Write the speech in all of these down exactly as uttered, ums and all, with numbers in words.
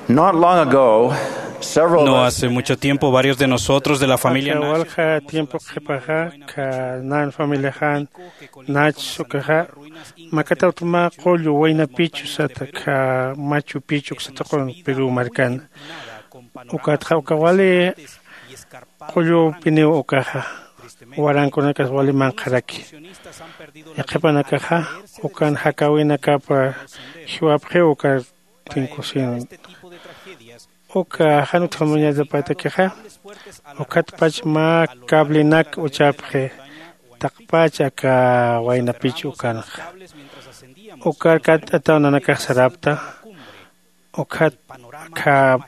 Not long ago, several of No us hace mucho tiempo, varios de nosotros de la familia Aka Nash walja tiempo qhipaxa, ka nan familiaxan Nach ukaxa, makatawtma qullu Wayna Pichu sata, ka Machu Pichu sata qun Perú markan. Ukatxa uka wali qullupiniw ukaxa, warankunakas wali manqharaki. Yaqhipanakaxa, ukan jakäwinakapa jiwapxiw uka tinkusin. Uka jan utjamuñatapatakixa, ukatpach mä cablenak uchapxi, taqpach aka Wayna Pichu ukanxa. Ukar katt'ataw nanakax sarapta, ukat aka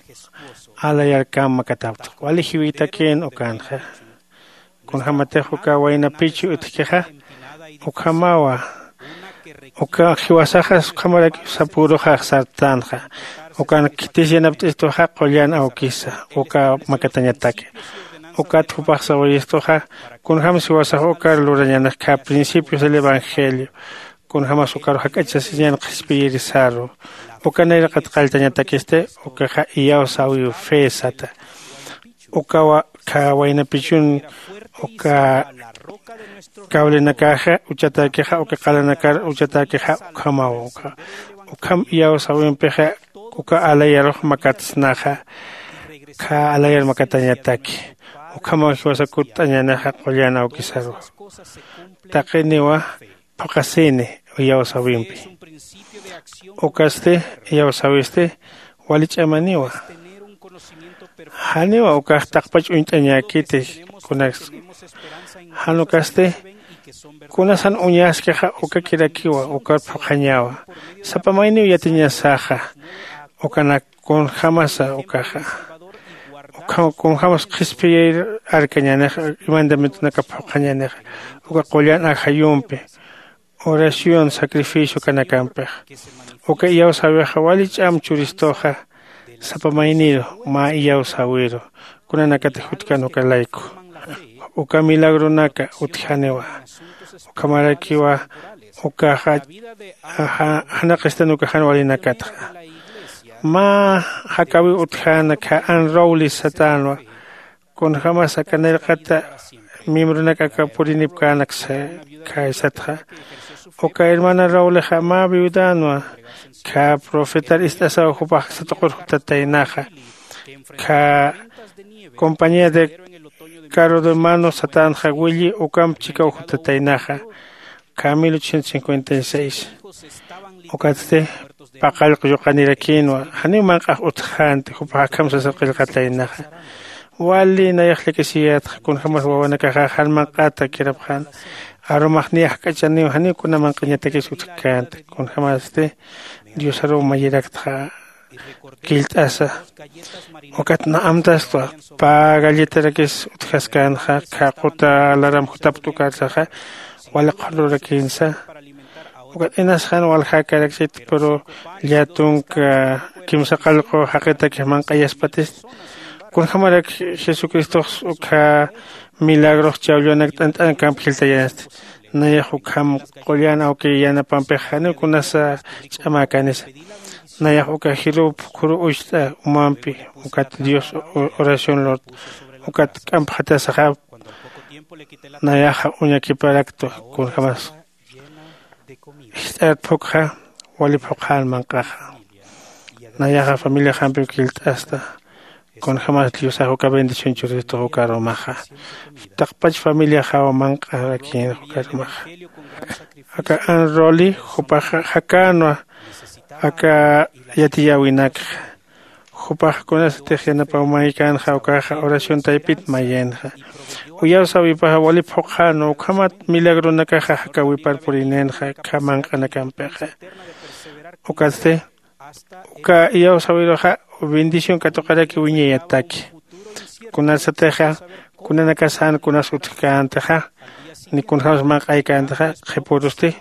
alayarkam makatapta. Wali jiwïtakin ukanxa. Kunjämatix uka Wayna Pichu utjkixa, ukhamawa. Uka jiwasaxas ukhamarak sapüruxa sartanxa. Ukan khitis yanapt'istuxa qullan awkisa, uka makatañataki. Ukat jupax sawayistuxa, kunjämsa jiwasax ukar lurañäni, ka principios del evangelio. Kunjämas ukar jak'achasiñan qhispiyirisaru. Uka nayraqat qalltañatakisti, ukaxa iyawsäwiw fe sata. Ukawa, ka Wayna Pichun, uka cablenakaxa uchatäkixa, uka qalanakar uchatäkixa, ukhamaw uka. Ukham iyawsäwimpixa, uka alayarux makatsnaxa, ka alayar makatañataki. Ukhamaw jiwasa kutt'añänixa qullan awkisaru. Taqiniwa, phuqhasini iyawsäwimpi. Ukasti, iyawsäwisti, wali ch'amaniwa. Janiwa ukax taqpach uñt'añäkiti kunaks. Jan ukasti, kunasan uñaskixa ukakirakiwa, ukar phuqhañawa. Sapa mayniw yatiñasaxa, ukanak kunjämasa ukaxa. Ukham, kunjämas qhispiyir arkañänixa, mandamientonaka phuqhañänixa. Uka qullan ajayumpi, oración, sacrificio kanakampix. Uka iyawsäwixa wali ch'am churistuxa, sapa mayniru, mä iyawsäwiru, kunanakatix jutkan uka layku. Uka milagronaka utjaniwa. Ukhamarakiwa, ukaxa, ja-, janaqistan uka jan walinakatxa. Mä jakäwiw utjäna, ka Ann Rowley satänwa, kunjämas aka nayraqata miembronak aka purinipkänak sa-, khaysatxa. Uka hermana Rowleyxa mä viudanwa, ka profetar ist'asaw jupax satuqur jutataynaxa, ka compañía de carro de mano satänxa willi ukamp chikaw jutataynaxa, ka mil ochocientos cincuenta y seis. Ukatsti paqallq yuqanirakïnwa, janiw manq'ax utjänti, jupax akham sasa qillqataynaxa. Wali nayax llakisiyätxa, kunjämas wawanakaxa jan manq'ata kirapxän. Arumax niya jak'achaniw, janiw kuna manq'añatakis utjkänti, kunjämasti Diosaruw mayiraktxa killt'asa. Ukat na amtastwa, pä galletarakis utjaskänxa, ka quta laram jutapkta ukarsaxa, wali qhullurakïnsa. Ukat inas jan waljäkarakchit, pero llätunk kimsa qallqu jaqitakix manq'ayaspatist. Kunjämarak Jesucristox ukkha milagrox chawlluwanak t'ant'ankamp jiltayänsti. Nayax ukham qullan awki yanapampixa janiw kunasa ch'amäkänisa. Nayax uka jiruw phukhuru ucht'a umampi, ukat Dios o-, oración lurt'a, ukat k'ampxatasaxapta. Nayaxa uñakiparaktwa, kunjämas jist'at phukxa, wali phuqhän manq'axa. Nayaxa familiaxampiw killt'asta. Kunjämas Diosax uka bendición churistux ukarumaxa. Taqpach familiaxaw manq'arakïnxa ukarumaxa. Aka Ann Rowley, jupaxa jakänwa aka yatiyäwinakxa. Jupax kunasatix yanapawmaykänxa ukaxa oración taypit mayinxa. Uyawsäwipaxa wali phuqhänwa, ukhamat milagronakaxa jakäwipar purininxa ukkha manq'anakampixa. Ukatsti, uka iyawsäwiruxa bendición katuqaraki wiñayataki. Kunasatixa, kunanakas jan kunas utjkäntixa, ni kunjämas manq'aykäntixa, qhipürusti,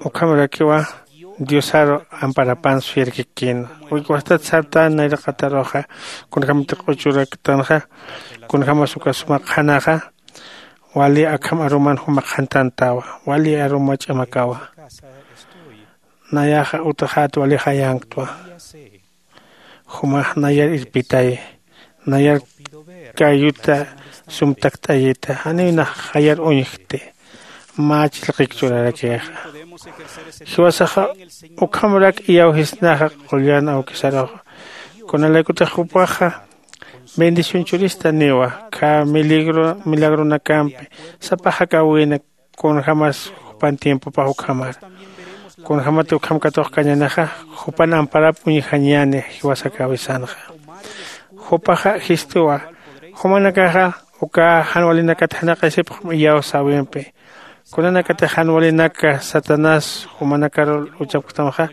ukhamarakiwa Diosaru amparapan suyarkikïn. Uywastat sartän nayraqataruxa, kunjämtix q'uchuraktanxa, kunjämas uka suma qhanaxa, wali akham aruman juma qhantantawa, wali aruma ch'amakawa. Nayaxa utjat wali jayanktwa. Jumax nayar irpitay, nayar kayuta sumtakt'ayita, janiw nax jayar uñjkti. Mä chillqik churarakixa jiwasaxa ukhamrak iyawjisnaxa qullan awkisaruxa. Kunalaykutix jupaxa bendición churistaniwa, kha miligro milagronakampi sapa jakawina. Kunjämas jupan tiempopax ukhamar, kunjämat ukham katuqkañänixa jupan amparap uñjañäni jiwasakäwisanxa. Jupaxa jistuwa, jumanakaxa uka jan walinakat janaqasipxam iyawsäwimpi. Kunanakatix jan walinaka satanás jumanakar luchapktamxa,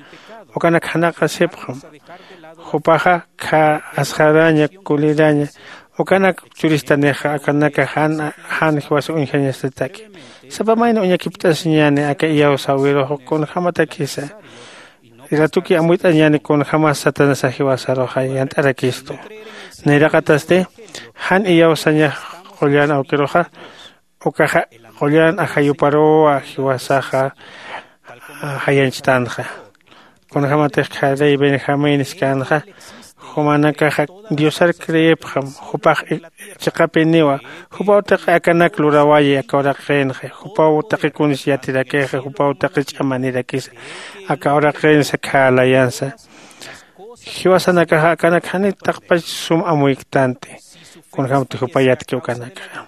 ukanak janaqasipxam. Jupaxa kha asxaraña kuliraña ukanak churistanixa akanaka jan jan jiwasa uñjañasataki. Sapa mayni uñakipt'asiñäni aka iyawsäwirux kunjämatakisa. Ratuki amuyt'añäni kunjämas satanasax jiwasaruxa yant'arakistu. Nayraqatasti jan iyawsañax qullan awkiruxa ukaxa qullan ajayuparuwa jiwasaxa jayanchtanxa. Kunjämatix kharey benjamín iskänxa, jumanakaxa diosar creepxam. Jupax chiqapiniwa. Jupaw taqi akanak lurawayi aka uraqinxa, jupaw taqi kunis yatirakixa, jupaw taqi ch'amanirakisa aka uraqinsa khälayansa. Jiwasanakaxa akanak janiw taqpach sum amuyktanti. Kunjämti jupa yatki ukanakxa.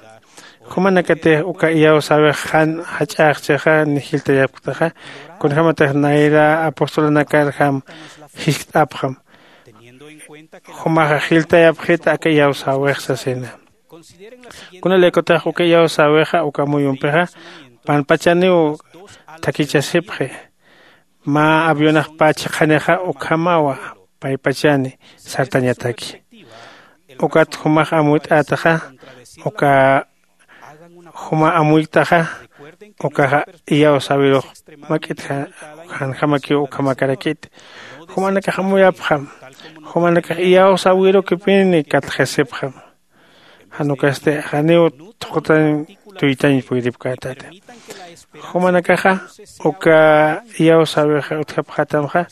Jumanakatix uka iyawsäwix jan jach'axchixa ni jiltayapktaxa, kunjämatix nayra apostolanakarjam jiskt'apxam. Jumaxa jiltayapxita aka iyawsäwix sasina. Kunalaykutix uka iyawsäwixa uka amuyumpixa panpachaniw thakichasipxi. Mä avionax pä chhiqhanixa ukhamawa paypachani sartañataki. Ukat jumax amuyt'ätaxa uka juma amuytaxa ukaxa iyawsäwirux mak'it janjamakiw ukhamakarakiti. Jumanakax amuyapxam. Jumanakax iyawsäwirukipini katxasipxam. Jan ukasti janiw thuqtañ tuytañ puyripkätati. Jumanakaxa uka iyawsäwixa utjapxätamxa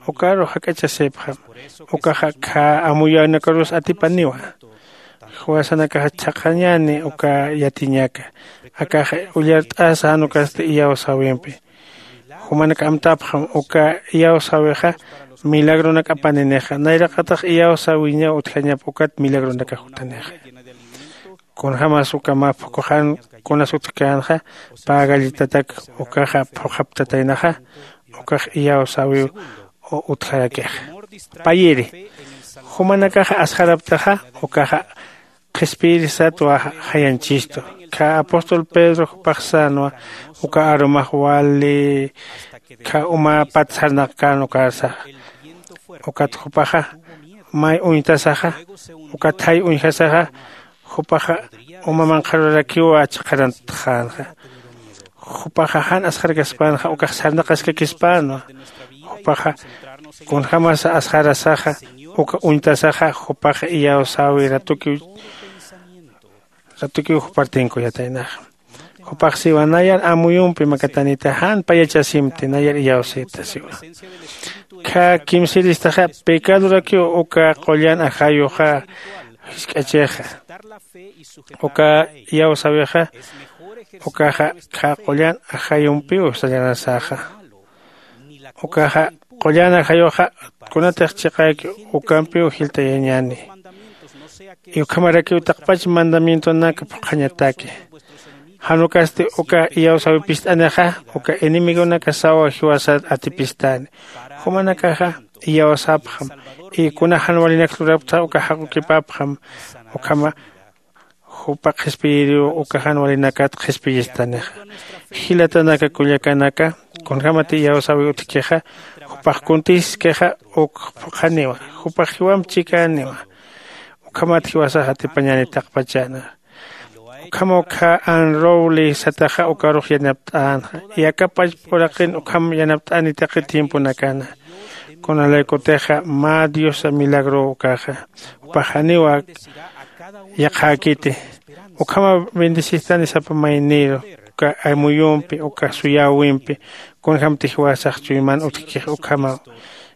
ukarux jak'achasipxam. Ukaxa kha amuyäwinakarus atipaniwa. Jiwasanakaxa chhaqhañäni uka yatiñaka. Akaxa ullart'asa jan ukasti iyawsäwimpi. Jumanak amtapxam uka iyawsäwixa milagronak apaninixa nayraqatax iyawsäwiñaw utjañap ukat milagronakax jutanixa. Kunjämas uka mä phukuxan kunas utjkänxa pä galletatak ukaxa phuqhaptataynaxa ukax iyawsäwiw utjarakixa. Payiri jumanakaxa asxaraptaxa ukaxa qhispiyirisatwa jayanchistu. Kha apóstol pedro jupax sänwa uka arumax wali kha uma pat sarnaqkän ukarsaxa. Ukat jupaxa may uñtasaxa uka thay uñjasaxa jupaxa uma manqharurakiwa chiqharantxänxa. Jupaxa jan asxarkaspänxa ukax sarnaqaskakispänwa. Jupaxa kunjämasa asxarasaxa uka uñtasaxa jupaxa iyawsäwi ratukiw ratukiw jupar tinkuyataynaxa. Jupax siwa nayar amuyumpi makatanita jan payachasimti nayar iyawsita siwa. Kha kimsiristaxa pecadorakiw uka qullan ajayuxa jisk'achixa. Uka iyawsäwixa ukaxa kha qullan ajayumpiw sallanasaxa. Ukaxa qullan ajayuxa kunatix chiqäki ukampiw jiltayañäni. Ukhamarakiw taqpach mandamientonak phuqhañataki. Jan ukasti uka iyawsäwi pist'anixa uka enemigonakasawa jiwasar atipistäni. Jumanakaxa iyawsapxam y kuna jan walinak lurapktaxa uka jaqukipapxam. Ukhama jupa qhispiyiriw uka jan walinakat qhispiyistanixa. Jilatanaka kullakanaka, kunjämat iyawsäwi utjkixa jupax kuntiskixa uk phuqhaniwa. Jupax jiwamp chikäniwa. Ukhamat jiwasax atipañäni taqpachäna. Ukhamaw kha an rowli sataxa ukarux yanapt'änxa. Iyakapach puraqin ukham yanapt'äni taqi tiemponakana. Kunalaykutixa mä diosa milagrow ukaxa. Jupax janiwa yaqhäkiti. Ukhamaw bendecistani sapa mayniru uka amuyumpi uka suyäwimpi. Kunjämti jiwasax chuyman utjkix ukhamaw.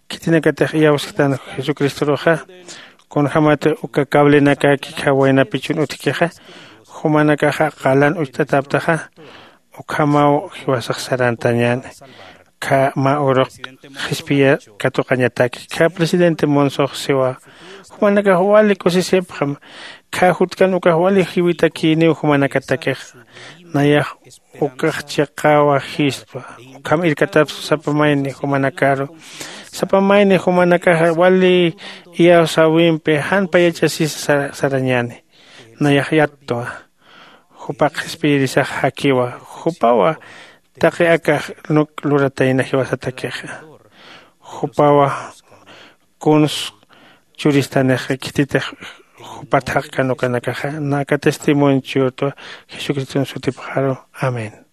khitinakatix iyawsktan jesucristoruxa, kunjämat uka cablenakaki khawaynapichun utjkixa, jumanakaxa qalan ucht'atäptaxa. Ukhamaw jiwasax sarantañäni. Khä mä urux qhispiya katuqañataki khä presidente monsox siwa, jumanakax wali kusisipxam. Khä jutkan ukax wali jiwitakïniw jumanakatakix. Nayax ukax chiqawa jispa. Ukham irkatapsa sapa mayni jumanakaru, sapa mayni jumanakaxa wali iyawsäwimpi jan payachasisa sarañäni. Nayax yattwa. Jupax qhispiyirisax jakiwa. Jupawa taqi akax nuk luratayna jiwasatakixa. Jupawa kuns churistanixa khititix jupat jaqkan ukanakaxa. Naka testimonio churtwa jesucriston sutipxaru. Amén.